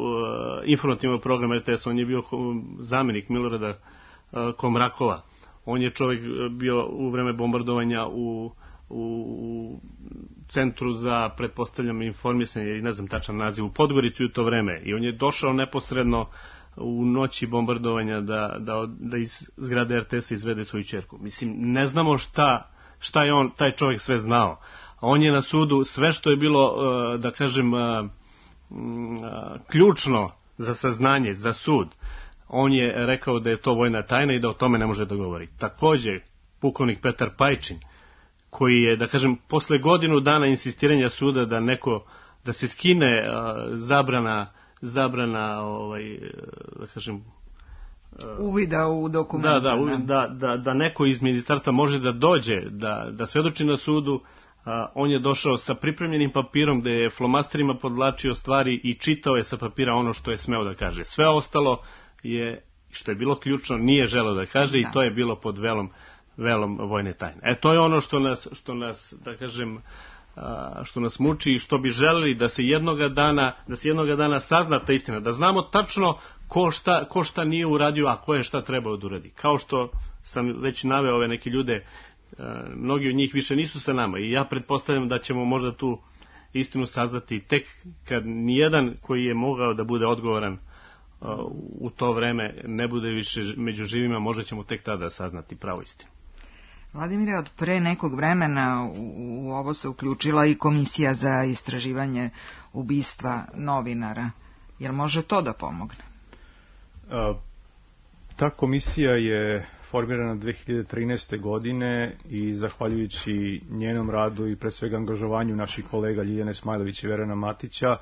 informativnog programa R T S. On je bio zamjenik Milorada uh, Komrakova. On je čovjek bio u vreme bombardovanja u u centru za, pretpostavljam, informisanje, i ne znam tačan naziv, u Podgorici u to vreme, i on je došao neposredno u noći bombardovanja da, da, da iz zgrade R T S-a izvede svoju ćerku. Mislim, ne znamo šta, šta je on, taj čovjek sve znao, On je na sudu sve što je bilo, da kažem, ključno za saznanje, za sud, on je rekao da je to vojna tajna i da o tome ne može da govori. Takođe, pukovnik Petar Pajčin, koji je, da kažem, posle godinu dana insistiranja suda da neko, da se skine zabrana, zabrana, ovaj, da kažem, uvida u dokumente. Da, da, da, da, da neko iz ministarstva može da dođe, da, da svedoči na sudu. A, on je došao sa pripremljenim papirom gde je flomasterima podlačio stvari i čitao je sa papira ono što je smeo da kaže. Sve ostalo je, što je bilo ključno, nije želeo da kaže da. I to je bilo pod velom, velom vojne tajne. E, to je ono što nas, što nas, da kažem, a, što nas muči i što bi želeli da se jednoga dana, da se jednoga dana sazna ta istina, da znamo tačno ko šta, ko šta nije uradio, a ko je šta trebao da uradi. Kao što sam već naveo ove neke ljude, mnogi od njih više nisu sa nama i ja pretpostavljam da ćemo možda tu istinu saznati tek kad nijedan koji je mogao da bude odgovoran u to vreme ne bude više među živima, možda ćemo tek tada saznati pravu istinu. Vladimire, od pre nekog vremena u ovo se uključila i Komisija za istraživanje ubistva novinara. Jel može to da pomogne? Ta komisija je formirana dve hiljade trinaeste. godine i zahvaljujući njenom radu i pre svega angažovanju naših kolega Ljiljane Smajlović i Verana Matića,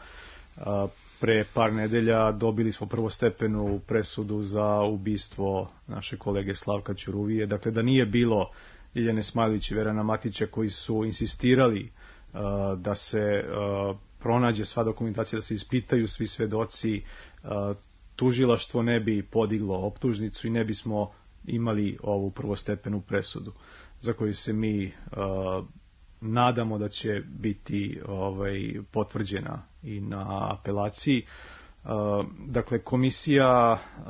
pre par nedelja dobili smo prvostepenu presudu za ubistvo naše kolege Slavka Ćuruvije. Dakle, da nije bilo Ljiljane Smajlović i Verana Matića koji su insistirali da se pronađe sva dokumentacija, da se ispitaju svi svedoci, tužilaštvo ne bi podiglo optužnicu i ne bismo imali ovu prvostepenu presudu za koju se mi uh, nadamo da će biti ovaj, potvrđena i na apelaciji. Uh, dakle, komisija uh,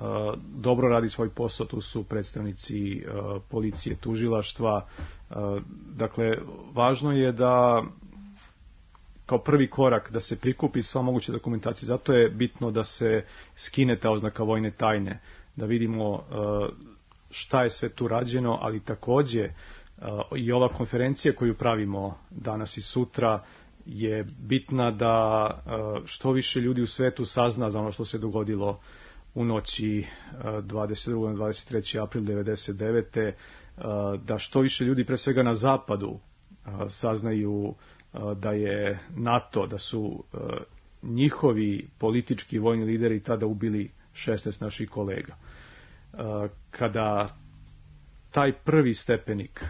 dobro radi svoj posao, tu su predstavnici uh, policije, tužilaštva. Uh, dakle, važno je da kao prvi korak da se prikupi sva moguća dokumentacija, zato je bitno da se skine ta oznaka vojne tajne, da vidimo uh, šta je sve tu rađeno, ali takođe uh, i ova konferencija koju pravimo danas i sutra je bitna da uh, što više ljudi u svetu sazna za ono što se dogodilo u noći uh, dvadeset drugog na dvadeset treći april devedeset devete. Uh, da što više ljudi, pre svega na zapadu, uh, saznaju uh, da je NATO, da su uh, njihovi politički i vojni lideri tada ubili šesnaest naših kolega. Kada taj prvi stepenik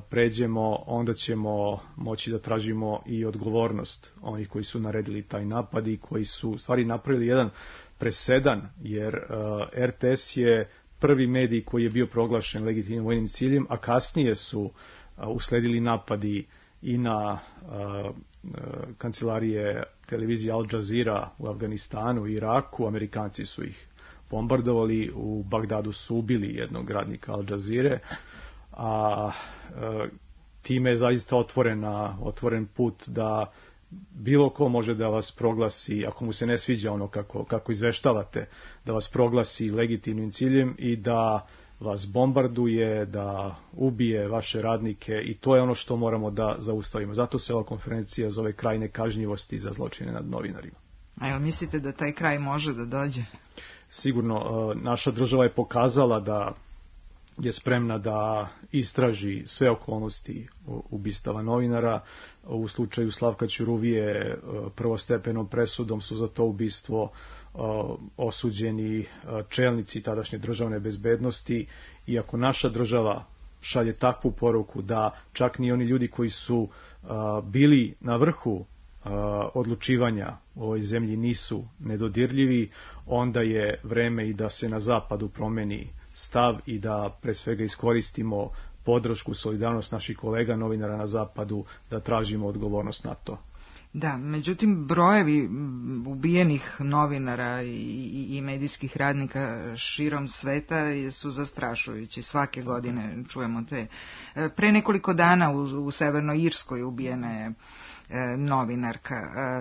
pređemo, onda ćemo moći da tražimo i odgovornost onih koji su naredili taj napad i koji su u stvari napravili jedan presedan, jer R T S je prvi medij koji je bio proglašen legitimnim vojnim ciljem, a kasnije su usledili napadi i na kancelarije televizije Al Jazeera u Afganistanu i Iraku. Amerikanci su ih bombardovali, u Bagdadu su ubili jednog radnika Al Jazeere, a e, time je zaista otvorena, otvoren put da bilo ko može da vas proglasi, ako mu se ne sviđa ono kako, kako izveštavate, da vas proglasi legitimnim ciljem i da vas bombarduje, da ubije vaše radnike, i to je ono što moramo da zaustavimo. Zato se ova konferencija zove kraj nekažnjivosti za zločine nad novinarima. A jel mislite da taj kraj može da dođe? Sigurno, naša država je pokazala da je spremna da istraži sve okolnosti ubistava novinara. U slučaju Slavka Ćuruvije prvostepenom presudom su za to ubistvo osuđeni čelnici tadašnje državne bezbednosti, i ako naša država šalje takvu poruku da čak ni oni ljudi koji su bili na vrhu odlučivanja u ovoj zemlji nisu nedodirljivi, onda je vreme i da se na zapadu promeni stav i da pre svega iskoristimo podršku, solidarnost naših kolega novinara na zapadu, da tražimo odgovornost na to. Da, međutim, brojevi ubijenih novinara i, i medijskih radnika širom sveta su zastrašujući. Svake godine čujemo te. Pre nekoliko dana u, u Severnoj Irskoj ubijena je novinarka.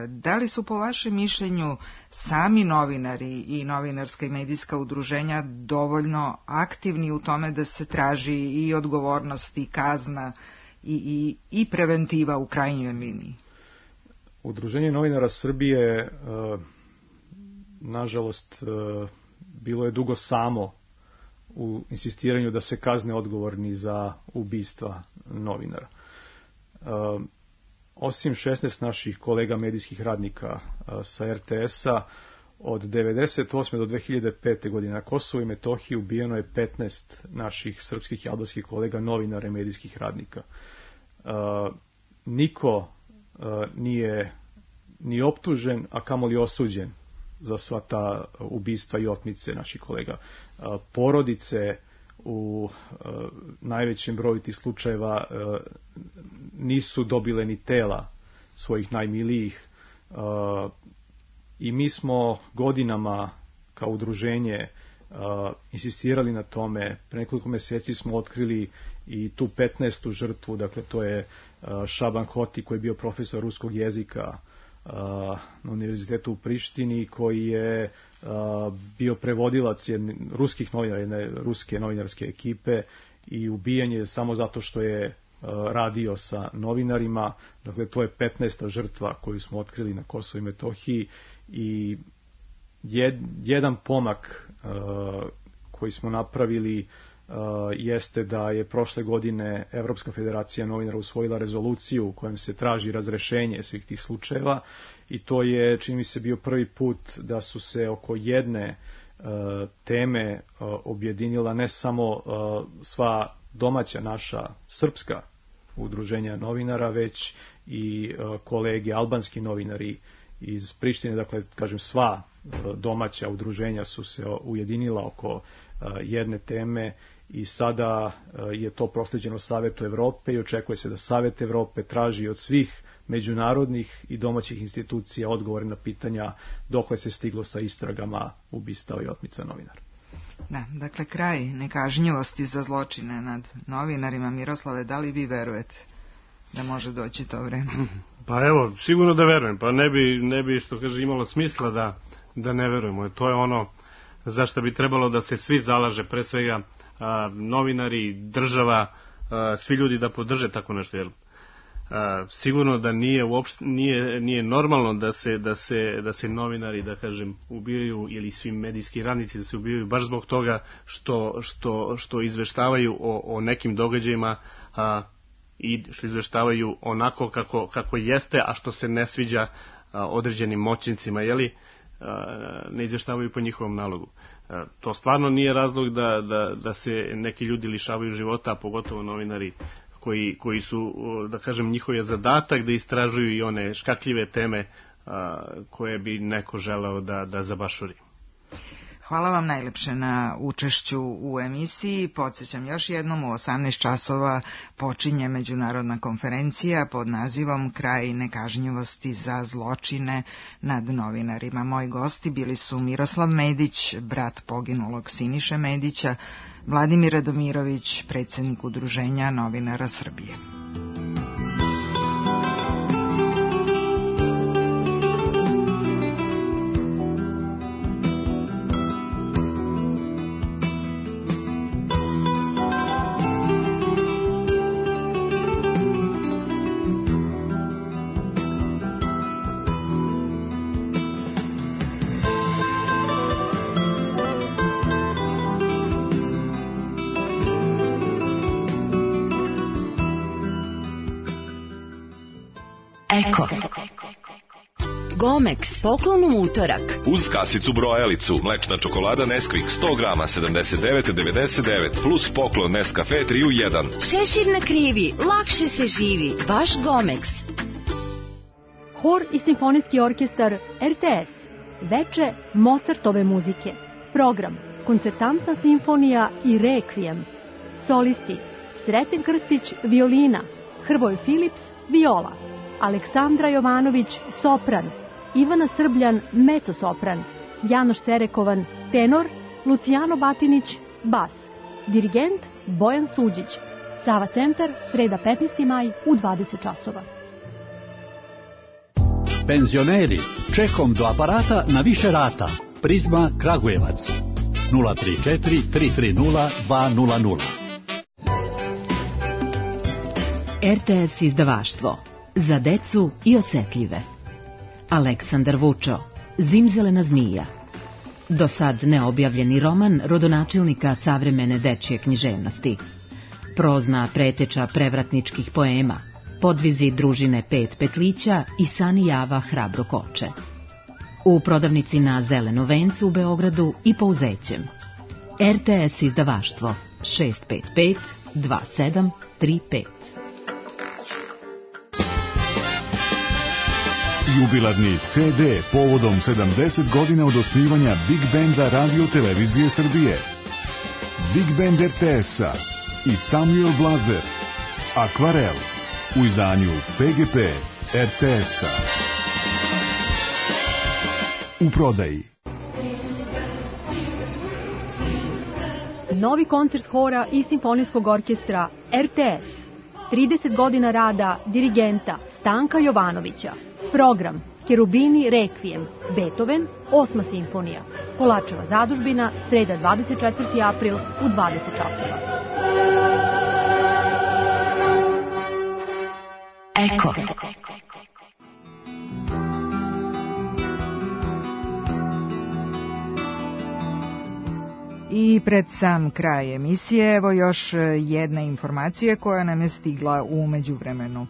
Da li su po vašem mišljenju sami novinari i novinarska i medijska udruženja dovoljno aktivni u tome da se traži i odgovornost i kazna i, i, i preventiva u krajnjoj liniji? Udruženje novinara Srbije, nažalost, bilo je dugo samo u insistiranju da se kazne odgovorni za ubistva novinara. Osim šesnaest naših kolega medijskih radnika sa er te es-a, od devedeset osme do dve hiljade pete. godine na Kosovu i Metohiji ubijeno je petnaest naših srpskih i albanskih kolega novinara i medijskih radnika. Niko nije ni optužen, a kamoli osuđen za sva ta ubistva i otmice naših kolega. Porodice u najvećem broju tih slučajeva nisu dobile ni tela svojih najmilijih i mi smo godinama kao udruženje insistirali na tome. Pre nekoliko meseci smo otkrili i tu petnaestu žrtvu, dakle to je Šaban Hoti koji je bio profesor ruskog jezika na univerzitetu u Prištini, koji je bio prevodilac jedne, ruskih novinara, jedne ruske novinarske ekipe, i ubijen je samo zato što je radio sa novinarima. Dakle, to je petnaesta žrtva koju smo otkrili na Kosovu i Metohiji i jed, jedan pomak koji smo napravili jeste da je prošle godine Evropska federacija novinara usvojila rezoluciju u kojem se traži razrešenje svih tih slučajeva, i to je, čini mi se, bio prvi put da su se oko jedne uh, teme uh, objedinila ne samo uh, sva domaća naša srpska udruženja novinara, već i uh, kolege albanski novinari iz Prištine. Dakle, kažem, sva uh, domaća udruženja su se ujedinila oko uh, jedne teme i sada uh, je to prosleđeno Savetu Evrope i očekuje se da Savet Evrope traži od svih međunarodnih i domaćih institucija odgovore na pitanja dokle se stiglo sa istragama ubistava i otmica novinara. Da, dakle, kraj nekažnjivosti za zločine nad novinarima. Miroslave, da li vi verujete da može doći to vreme? Pa evo, sigurno da verujem. Pa ne bi, ne bi što kaže, imalo smisla da, da ne verujemo. To je ono za što bi trebalo da se svi zalaže, pre svega a, novinari, država, a, svi ljudi da podrže tako nešto, jel? A, sigurno da nije uopšte nije nije normalno da se da se da se novinari, da kažem, ubijaju, ili svi medijski radnici da se ubijaju baš zbog toga što što što izveštavaju o, o nekim događajima, a, i što izveštavaju onako kako kako jeste, a što se ne sviđa a, određenim moćnicima, je li, ne izveštavaju po njihovom nalogu. A, to stvarno nije razlog da da da se neki ljudi lišavaju života, a pogotovo novinari koji, koji su, da kažem, njihov je zadatak da istražuju i one škakljive teme a, koje bi neko želeo da, da zabašuri. Hvala vam najlepše na učešću u emisiji. Podsjećam još jednom, u osamnaest časova počinje međunarodna konferencija pod nazivom Kraj nekažnjivosti za zločine nad novinarima. Moji gosti bili su Miroslav Medić, brat poginulog Siniše Medića, Vladimir Radomirović, predsjednik Udruženja novinara Srbije. Eko. Gomex, poklon u utorak. Uz kasicu brojalicu, mlečna čokolada Nesquik sto grama, sedamdeset devet devedeset devet, plus poklon Nescafe tri u jedan. Šešir na krivi, lakše se živi, vaš Gomex. Hor i simfonijski orkestar er te es. Veče Mozartove muzike. Program Koncertantna simfonija i Rekvijem. Solisti Sreten Krstić, violina, Hrvoje Filips, viola, Aleksandra Jovanović, sopran, Ivana Srbljan, mecosopran, Janoš Serekovan, tenor, Lucijano Batinić, bas, dirigent Bojan Suđić. Sava centar, sreda petnaesti maj u dvadeset časova. Penzioneri, čekom do aparata na više rata. Prizma Kragujevac nula tri četiri tri tri nula dva nula nula. R T S izdavaštvo za decu i osetljive. Aleksandar Vučo, Zimzelena zmija. Do sad neobjavljeni roman rodonačelnika savremene dečje književnosti. Prozna preteča prevratničkih poema, podvizi družine Pet petlića i Sani Java hrabro koče. U prodavnici na Zeleno vencu u Beogradu i Pouzećem. R T S izdavaštvo šest pet pet dva sedam tri pet. Jubilarni C D povodom sedamdeset godina od osnivanja Big Benda Radio Televizije Srbije. Big Band R T S-a i Samuel Blazer. Akvarel u izdanju P G P R T S-a. U prodaji. Novi koncert hora i simfonijskog orkestra R T S. trideset godina rada dirigenta Stanka Jovanovića. Program Cherubini Requiem, Beethoven, osma simfonija. Kolačeva zadužbina, sreda dvadeset četvrti april u dvadeset časova. Eko. I pred sam kraj emisije, evo još jedna informacija koja nam je stigla u međuvremenu.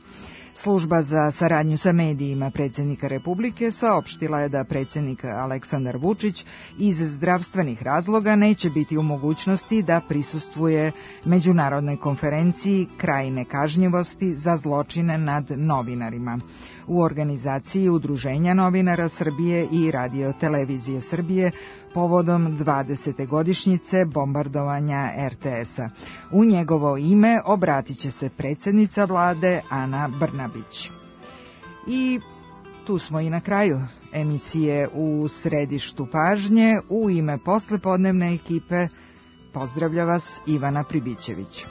Služba za saradnju sa medijima predsjednika Republike saopštila je da predsjednik Aleksandar Vučić iz zdravstvenih razloga neće biti u mogućnosti da prisustvuje međunarodnoj konferenciji Kraj nekažnjivosti za zločine nad novinarima u organizaciji Udruženja novinara Srbije i Radio televizije Srbije povodom dvadesete godišnjice bombardovanja R T S-a. U njegovo ime obratit će se predsjednica vlade Ana Brnabić. I tu smo i na kraju emisije U središtu pažnje. U ime poslepodnevne ekipe pozdravlja vas Ivana Pribićević.